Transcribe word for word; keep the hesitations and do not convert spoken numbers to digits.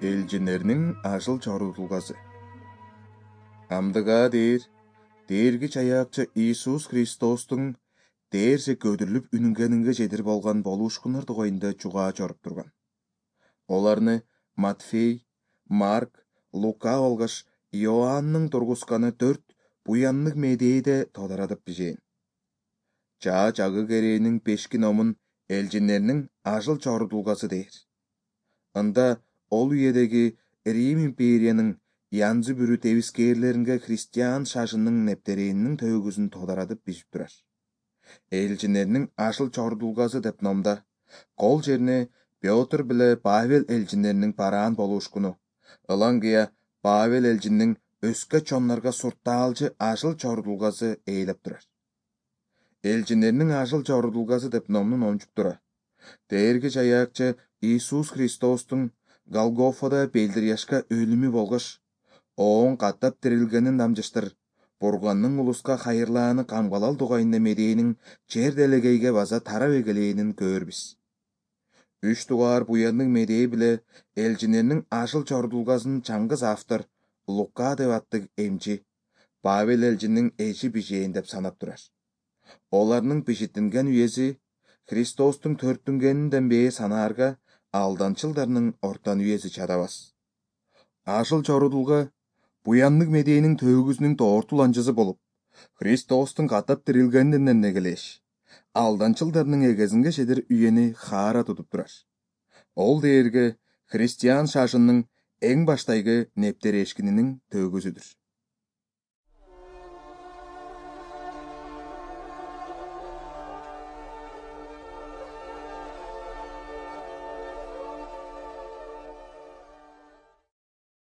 Элчинернин ажыл чорутулгасы. Амдыга дээр Дээрги Чаяакчы Иисус Христостун дээрсе көдүрүлүп үнүнгенинге жедир болгон болушкундар тугайында чугаа чоруп турган. Оларны Матфей, Марк, Лука болгош Иоаннын тургусканы төрт буяннык медейде тодорадып бижээн. Чаа чагы керээнин пешки номун элчинернин ажыл чорутулгасы дээр. Ында ол үйедеги Рим империянын янзы бүрү тебискээрлеринге христиан шашынын нептерээнин төгүзүн тодорадып бижип турар. Элчинернин ажыл чорутулгасы деп номда кол жерине Петр биле Павел элчинеринин бараан болушкуну, ылаңгыя Павел элчиндин өскө чоннорго суртаалчы ажыл чорутулгасы ээлеп турар. Элчинеринин ажыл чорутулгасы деп номдун ончуктура. Дээрги Чаяакчы Иисус Христостун Голгофада белдиряшка өлүмү болгош, оон каттап тирилгенин дамжыштыр, Бурганның улуска хайырлааны камгалал тугайында медейинин жер делегейге база тарап эгелээнин көрбүз. Үч тугаар буяннык медей биле элчинеринин ажыл чорутулгасын чаңгыз автор Лука деп аттык эмчи Павел элчиндин эчи бижээн деп санап турар. Оларнын бишитинген үйеси Христостун төрттүнгенинден бээ санаарга алданчылдарнын ортан үйеси чадабас. Ажыл чорутулга буяннык медейинин төгүзүнүн тоортул анчысы болуп, Христостун каттап тирилгенинден эгелеш, алданчылдарнын эгезинге жедир үйени хаара тутуп турар. Ол дээрге христиан шашынын эң баштайгы нептерешкининин төгүзүдүр.